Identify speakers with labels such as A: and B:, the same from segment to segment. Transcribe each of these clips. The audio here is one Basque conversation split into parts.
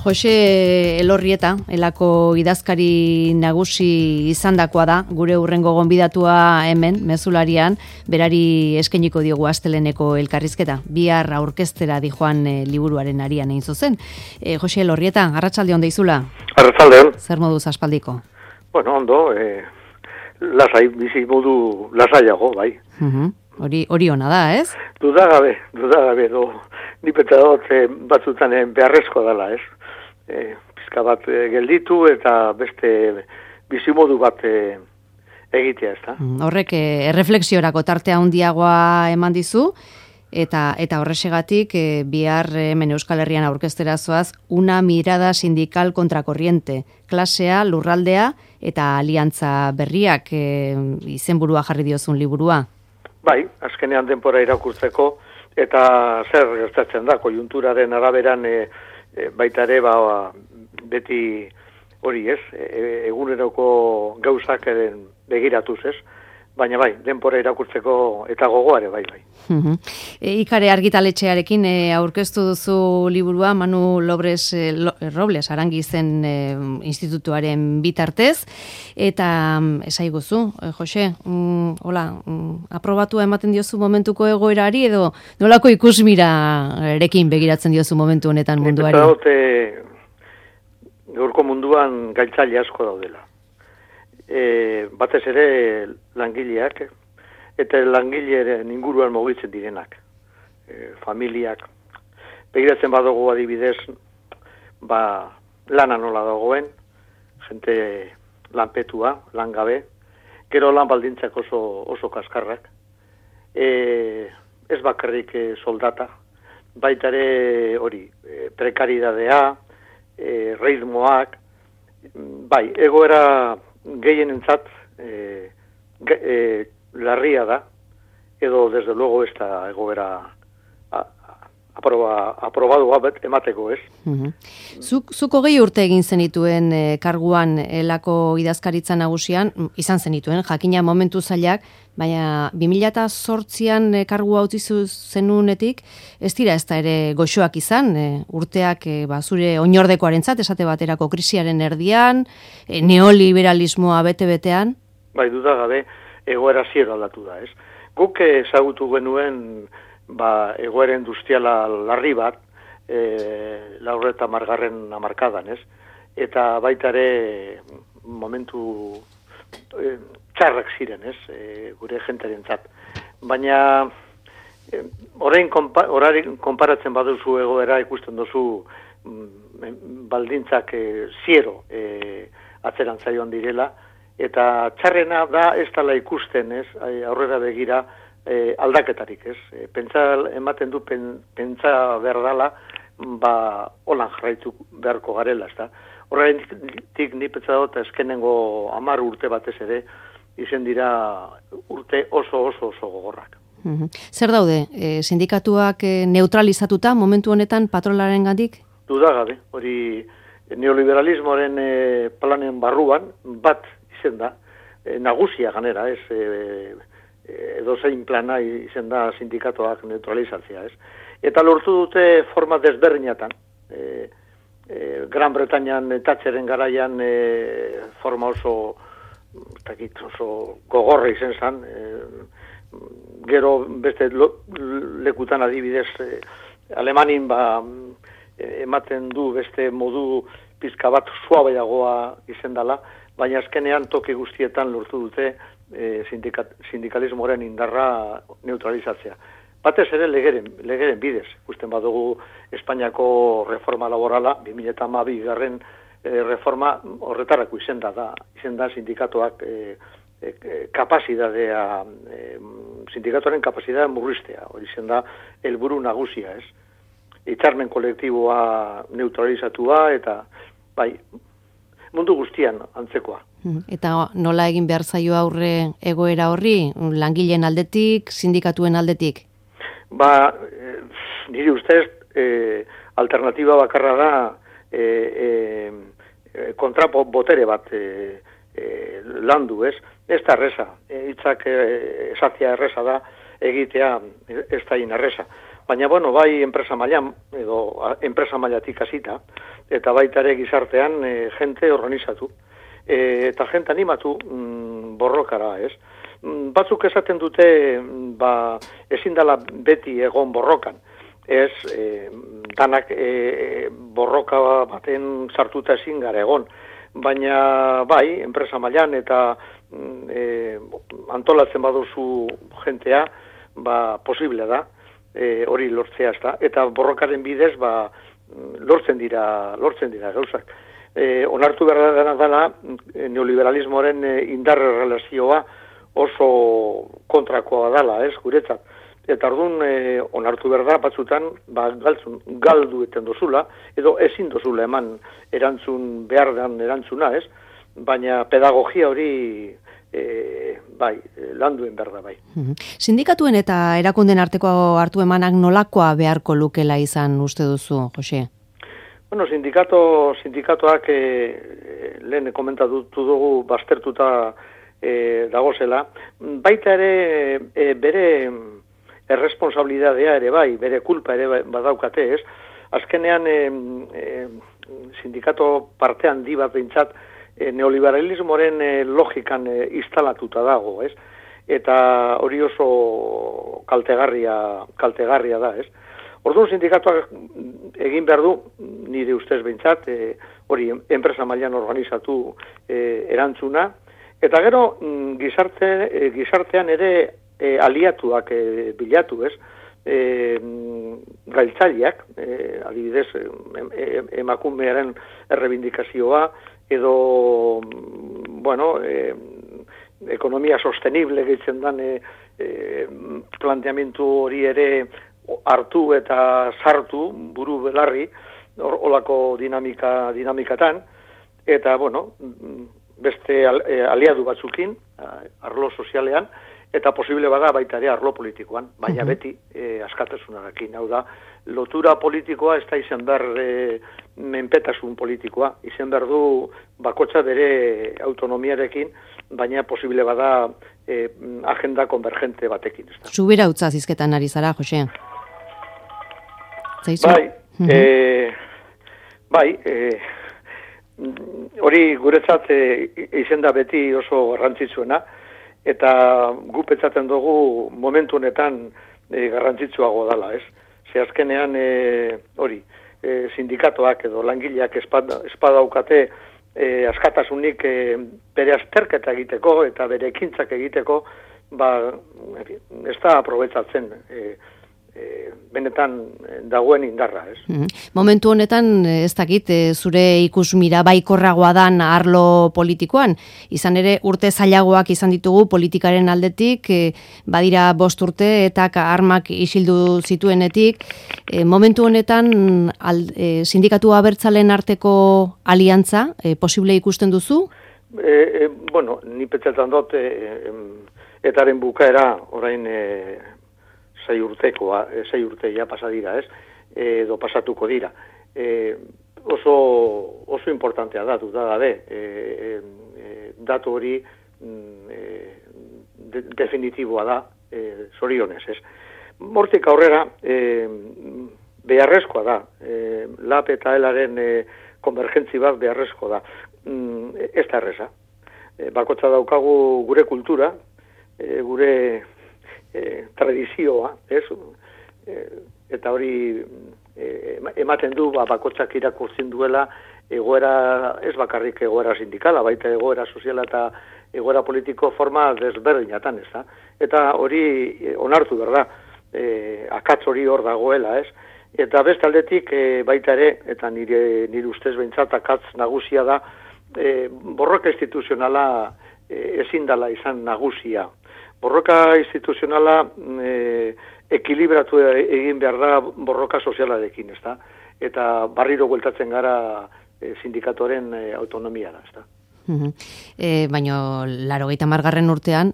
A: Jose Elorrieta, elako idazkari nagusi izandakoa da, gure hurrengo gonbidatua hemen, mezularian, berari eskainiko diogu asteleneko elkarrizketa. Bihar aurkeztera dijoan liburuaren arian egin zuzen. Jose Elorrieta, arratsalde on deizula.
B: Arratsalde on.
A: Zer moduz aspaldiko?
B: Bueno, ondo, lasai, bizi modu lasaiago, bai.
A: Hori ona da, ez?
B: Dudagabe, ni peta dut batzutan beharrezkoa dela, ez? Pizka bat gelditu eta beste bizimodu bat egitea, ez da?
A: Horrek erreflexiorako tartea handiagoa eman dizu, eta horrexegatik bihar hemen Euskal Herrian aurkeztera zoaz, una mirada sindical contracorriente, klasea, lurraldea eta aliantza berriak izenburua jarri diozun liburua.
B: Bai, azkenean denbora irakurtzeko, eta zer gertatzen da, konjunturaren araberan baita ere, beti hori ez, eguneroko gauzak begiratuz ez, baina bai, denbora irakurtzeko eta gogoare, bai.
A: Ikare argitaletxearekin aurkeztu duzu liburua Manu Robles Arangizen institutuaren bitartez, eta esaiguzu, Jose, aprobatua ematen diozu momentuko egoerari edo nolako ikusmirarekin begiratzen diozu momentu honetan munduari?
B: Gaurko munduan gaitzaile asko daudela. Batez ere langileak, eta langilearen inguruan mugitzen direnak, familiak. Begiratzen badugu adibidez, lana nola dagoen, jente lanpetua, langabe, gero lan baldintzak oso kaskarrak, ez bakarrik soldata, baita ere hori, prekaridadea, ritmoak, bai, egoera gehienentzat larria da, edo desde luego ez da egoera aprobadua emateko, ez?
A: Zuko 20 urte egin zenituen karguan elako idazkaritza nagusian, izan zenituen, jakina momentu zailak, baina 2008an kargua utzi zenunetik, ez dira ez da ere goxoak izan, urteak zure oinordekoarentzat, esate baterako krisiaren erdian, neoliberalismoa bete-betean?
B: Bai, dudagabe, egoera ziero aldatu da, ez? Guk ezagutu genuen egoera industriala larri bat, 90 hamarkadan, ez? Eta baita ere momentu txarrak ziren, ez? Gure jentearentzat. Baina orain konparatzen baduzu egoera ikusten duzu baldintzak ziero atzerantza joan direla, eta txarrena da ez dela ikusten, ez? Aurrera begira aldaketarik, ez? Ematen du pentsa behar dela, holan jarraitu beharko garela, ez da? Horretik ni pentsa dut eskenengo 10 urte batez ere, izen dira urte oso gogorrak.
A: Zer daude, sindikatuak neutralizatuta momentu honetan patronalaren gandik?
B: Dudagabe, hori neoliberalismoaren planen barruan bat izen da, nagusia ganera, ez? Edozein plana izen da sindikatuak neutralizatzea, ez? Eta lortu dute forma desberdinatan. Gran Bretañan Thatcheren garaian forma oso gogorra izen zan, gero beste lekutan adibidez Alemanin ematen du beste modu pizka bat suabaiagoa izen dela, baina azkenean toki guztietan lortu dute sindikalismoaren indarra neutralizatzea. Batez ere legeren bidez, ikusten badugu Espainiako reforma laborala, 2012 reforma horretarako izen da sindikatuak kapazitatea, sindikatuaren kapazitatea murriztea, hori izen da helburu nagusia, ez? Hitzarmen kolektiboa neutralizatua eta bai, mundu guztian antzekoa.
A: Eta nola egin behar zaio aurre egoera horri, langileen aldetik, sindikatuen aldetik?
B: Niri ustez, alternatiba bakarra da kontrapo botere bat landu, ez? Ez da erresa, hitzak esatzea erresa da, egitea ez da erresa. Baina, bueno, bai enpresa mailan, edo enpresa mailatik hasita, eta baita ere gizartean jente organizatu, eta jente animatu borrokara, ez? Batzuk esaten dute, ezin dela beti egon borrokan, ez, danak borroka baten sartuta ezin gara egon, baina bai, enpresa mailan eta antolatzen baduzu jentea, posible da, hori lortzea ez da, eta borrokaren bidez, lortzen dira gauzak. Onartu behar dela, neoliberalismoaren indar relazioa oso kontrakoa dela, ez, guretzat. Eta orduan, onartu behar da, batzutan, galdu eten dozula, edo ezin dozula eman behar den erantzuna, ez, baina pedagogia hori landuen behar da, bai.
A: Sindikatuen eta erakunden arteko hartu emanak nolakoa beharko lukela izan uste duzu, Jose?
B: Bueno, sindikatoak lehen komentatu dugu baztertuta dagozela, baita ere bere erresponsabilidadea ere bai, bere kulpa ere badaukate, ez? Azkenean sindikato parte handi bat behintzat neoliberalismoren logikan instalatuta dago, ez? Eta hori oso kaltegarria da, ez? Orduan sindikatuak egin behar du, nire ustez behintzat, hori enpresa mailan organizatu erantzuna, eta gero gizartean ere aliatuak bilatu, ez? Gailtzaileak, adibidez, emakumearen errebindikazioa, edo, bueno, ekonomia sostenible gehitzen dan planteamentu hori ere hartu eta sartu buru belarri, olako dinamikatan, eta, bueno, beste aliadu batzukin, arlo sozialean, eta posible bada baita ere arlo politikoan, baina beti askatasunarekin. Hau da, lotura politikoa ez da izan behar menpetasun politikoa, izan behar du bakotxa bere autonomiarekin, baina posible bada agenda konvergente batekin.
A: Zubera utza zizketan ari zara, Jose? Zaizu?
B: Bai, hori guretzat izen da beti oso garrantzitsuena, eta gu pentsatzen dugu momentu honetan garrantzitsuago dala, ez? Ze azkenean hori, sindikatoak edo langileak espadaukate askatasunik bere azterketa egiteko eta bere ekintzak egiteko, ez da aprobetsatzen benetan dagoen indarra, ez?
A: Momentu honetan, ez dakit, zure ikusmira baikorragoa dan arlo politikoan, izan ere urte zailagoak izan ditugu politikaren aldetik, badira 5 urte eta armak isildu zituenetik, momentu honetan sindikatu abertzalen arteko aliantza, posible ikusten duzu?
B: Bueno, ni pentsatzen dut, etaren bukaera orain 6 urteia pasadira, ez? Edo pasatuko dira. Oso importantea datu da gabe. Datu hori definitiboa da, zorionez, ez? Hortik aurrera, beharrezkoa da. LAB eta ELAren konvergentzi bat beharrezkoa da. Ez da erreza. Bakotza daukagu gure kultura, gure tradizioa, ez? Eta hori ematen du bakotxak irakurtzen duela egoera, ez bakarrik egoera sindikala, baita egoera soziala eta egoera politiko forma desberdinatan, ez da? Eta hori onartu behar da, akatz hori hor dagoela, ez? Eta bestaldetik baita ere, eta nire ustez behintzat akatz nagusia da, borroka instituzionala ezin dela izan nagusia. Borroka instituzionala ekilibratu egin behar da borroka sozialarekin, ez da? Eta barriro bueltatzen gara sindikatoren autonomiara, ez da?
A: Baina, 80. urtean,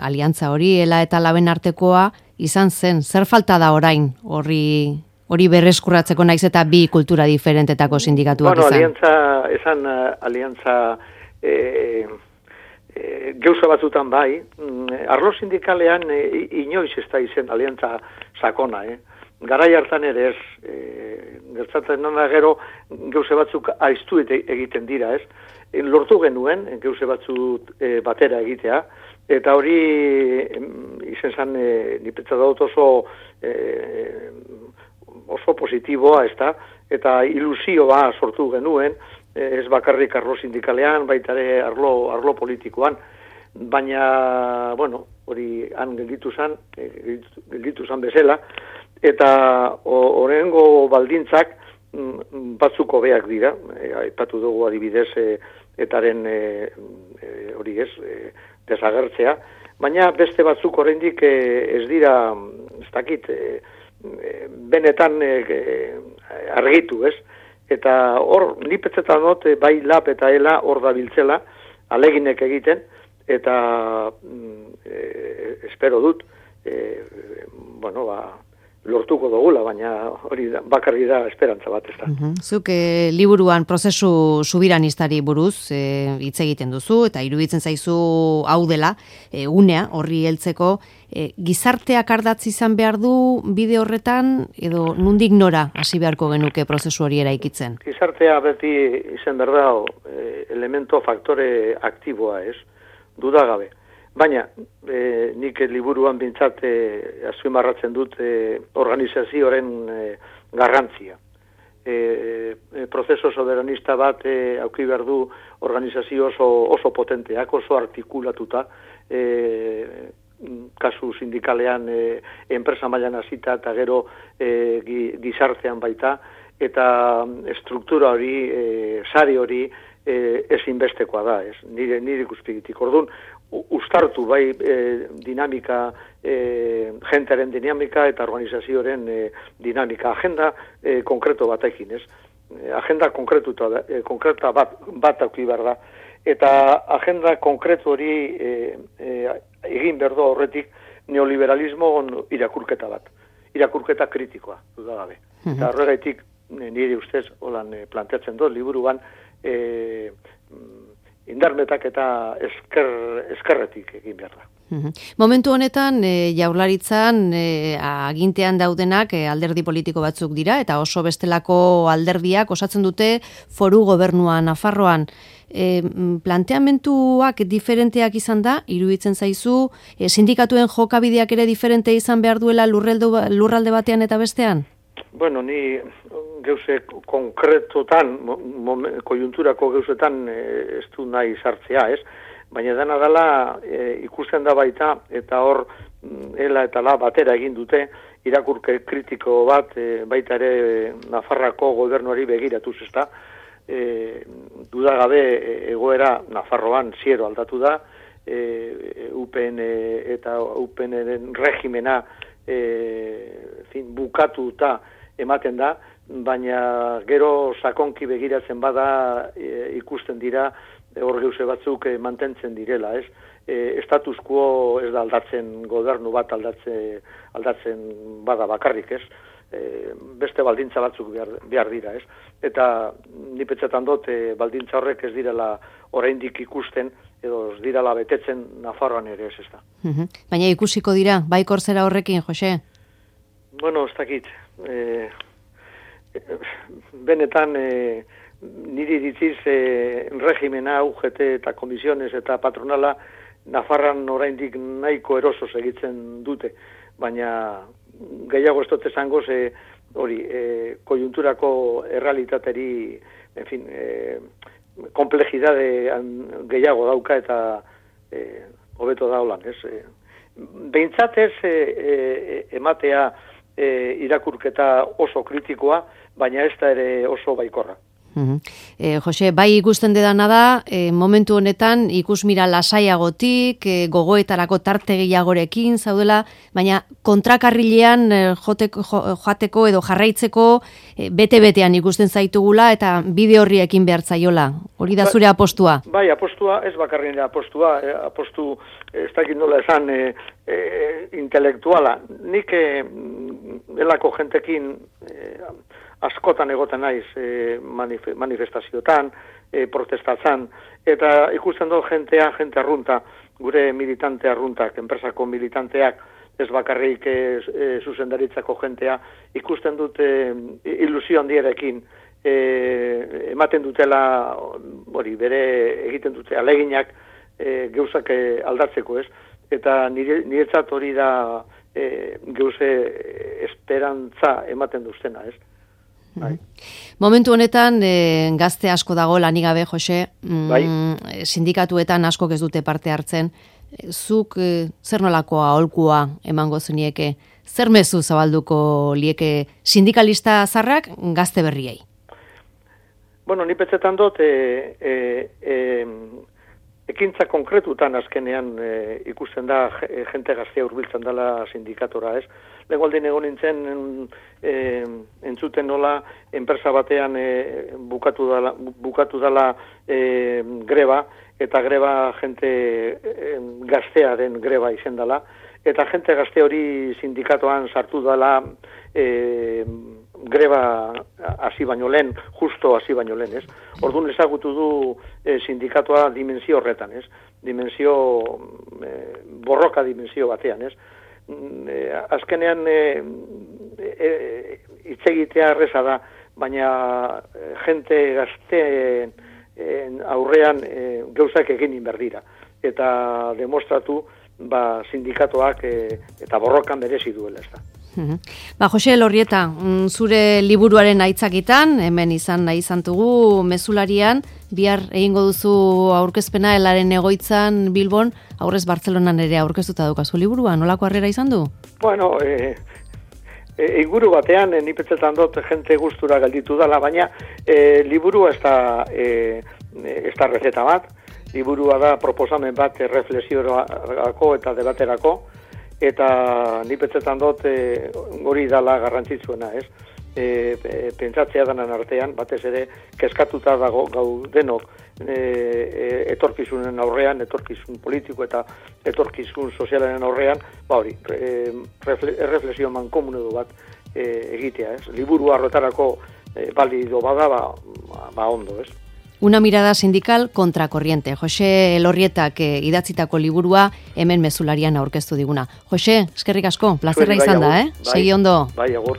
A: aliantza hori, ELA eta LABen artekoa izan zen. Zer falta da orain hori berreskurratzeko naiz eta bi kultura diferentetako sindikatuak izan?
B: Aliantza gauza batzutan bai, arlo sindikalean inoiz ez da izen aliantza sakona, garai hartan ere ez, gertzatzen nana gero geuse batzuk aiztu egiten dira, ez? Lortu genuen, geuse batzuk batera egitea, eta hori izen zan, nipetza dut oso positiboa, ez da? Eta ilusioa sortu genuen, ez bakarrik arlo sindikalean, baita ere arlo politikoan, baina, bueno, hori han gelditu zan bezala, eta horrengo baldintzak batzuk hobeak dira, aipatu dugu adibidez etaren hori ez, desagertzea, baina beste batzuk oraindik ez dira, ez dakit, benetan argitu, ez? Eta hor, nipetzetan dut, bai lap eta ela hor da biltzela, aleginek egiten, eta espero dut, bueno, lortuko dugula, baina hori bakarri da esperantza bat, ez da.
A: Zuk liburuan prozesu subiranistari buruz hitz egiten duzu, eta iruditzen zaizu hau dela, unea, horri heltzeko, gizarteak ardatz izan behar du bide horretan, edo nondik nora hasi beharko genuke prozesu hori eraikitzen?
B: Gizartea beti izan behar da elemento faktore aktiboa, ez? Dudagabe. Baina, nik liburuan bintzat azpimarratzen dut organizazioaren garrantzia. Prozeso soberanista bat auki behar du organizazio oso potenteak, oso artikulatuta, kasu sindikalean enpresa mailan hasita eta gero gizartean baita, eta struktura hori, sari hori ezinbestekoa da, ez? Nire ikuspigitik. Orduan, ustartu bai dinamika, jentearen dinamika eta organizazioaren dinamika. Agenda konkreto batekin, ez? Agenda konkreta bat auki behar da. Eta agenda konkretu hori egin berdo horretik neoliberalismo irakurketa bat. Irakurketa kritikoa, dudagabe. Eta horregaitik nire ustez holan planteatzen dut liburuan indarmetak eta eskerretik egin behar da.
A: Momentu honetan, Jaurlaritzan agintean daudenak alderdi politiko batzuk dira, eta oso bestelako alderdiak osatzen dute foru gobernua Nafarroan. Planteamentuak diferenteak izan da, iruditzen zaizu, sindikatuen jokabideak ere diferente izan behar duela lurralde batean eta bestean?
B: Bueno, ni geuse konkretotan, koiunturako geusetan ez du nahi sartzea, ez? Baina dena dela ikusten da baita, eta hor ela eta la batera egin dute, irakurke kritiko bat baita ere Nafarroako gobernuari begiratuz, ezta? Dudagabe egoera Nafarroan ziero aldatu da, UPN eta UPNren regimena bukatuta ematen da, baina gero sakonki begiratzen bada ikusten dira hor geuse batzuk mantentzen direla, ez? Status quo ez da aldatzen, gobernu bat aldatzen bada bakarrik, ez? Beste baldintza batzuk behar dira, ez? Eta nipetzetan dut baldintza horrek ez direla oraindik ikusten, edo ez direla betetzen Nafarroan ere ez da.
A: Baina ikusiko dira, bai korzera horrekin, Jose?
B: Bueno, ez dakit. Benetan niri ditziz regimena, UGT eta komisiones eta patronala Nafarran oraindik nahiko eroso segitzen dute, baina gehiago ez dut esango hori koiunturako errealitateri, en fin, komplejidade gehiago dauka eta hobeto da holan, ez? Behintzat ez ematea irakurketa oso kritikoa, baina ez da ere oso baikorra.
A: Jose, bai ikusten dedana da, momentu honetan ikusmira lasaiagotik, gogoetarako tarte gehiagorekin zaudela, baina kontrakarrilean joateko edo jarraitzeko bete-betean ikusten zaitugula eta bide horri ekin behar zaiola. Hori da zure apostua?
B: Bai, apostua, ez bakarren apostua, apostu ez dakit nola esan intelektuala. Nik elako jentekin askotan egoten naiz manifestazioetan, protestatzen, eta ikusten dut jente arrunta, gure militante arruntak, enpresako militanteak, ez bakarrik zuzendaritzako jentea, ikusten dute ilusio handiarekin ematen dutela, bere egiten dute aleginak gauzak aldatzeko, ez? Eta niretzat hori da gauze esperantza ematen duztena, ez? Bai.
A: Momentu honetan gazte asko dago lanik gabe, Jose,
B: bai.
A: Sindikatuetan askok ez dute parte hartzen. Zuk zer nolakoa aholkua emango zenieke? Zer mezu zabalduko lieke sindikalista zarrak gazte berriei?
B: Bueno, ni petzetan dut ekintza konkretutan azkenean ikusten da jente gaztea hurbiltzen dela sindikatora, ez? Lehengoaldin egon nintzen entzuten nola enpresa batean bukatu dela greba, eta greba jente gaztearen greba izen dela, eta jente gazte hori sindikatoan sartu dela greba hasi baino lehen, justo hasi baino lehen, ez? Orduan ezagutu du sindikatoa dimensio horretan, ez? Borroka dimensio batean, ez? Azkenean hitz egitea erreza da, baina jente gazteen aurrean gauzak egin berdira. Eta demostratu sindikatoak eta borrokan merezi duela, ez da.
A: Jose Elorrieta, zure liburuaren aitzakitan, hemen izan nahi izantugu mezularian, bihar egingo duzu aurkezpena helaren egoitzan Bilbon, aurrez Bartzelonan ere aurkeztuta daukazu liburua, nolako harrera izan du?
B: Bueno, inguru batean, ni pentsetan dut jente gustura galditu dela, baina liburua ez da receta bat, liburua da proposamen bat reflexiorako eta debaterako, eta ni pentsetan dut hori dala garrantzitsuena, ez? Pentsatzea danan artean, batez ere, kezkatuta dago gaudenok etorkizunen aurrean, etorkizun politiko eta etorkizun sozialaren aurrean, hori, reflexio mankomunedo bat egitea, ez? Liburu arrotarako balido bada, ondo, ez?
A: Una mirada sindical contracorriente. Jose Elorrietak idatzitako liburua hemen mezularian aurkeztu diguna. Jose, eskerrik asko, plazerra izan da, Segi ondo.
B: Bai, agur.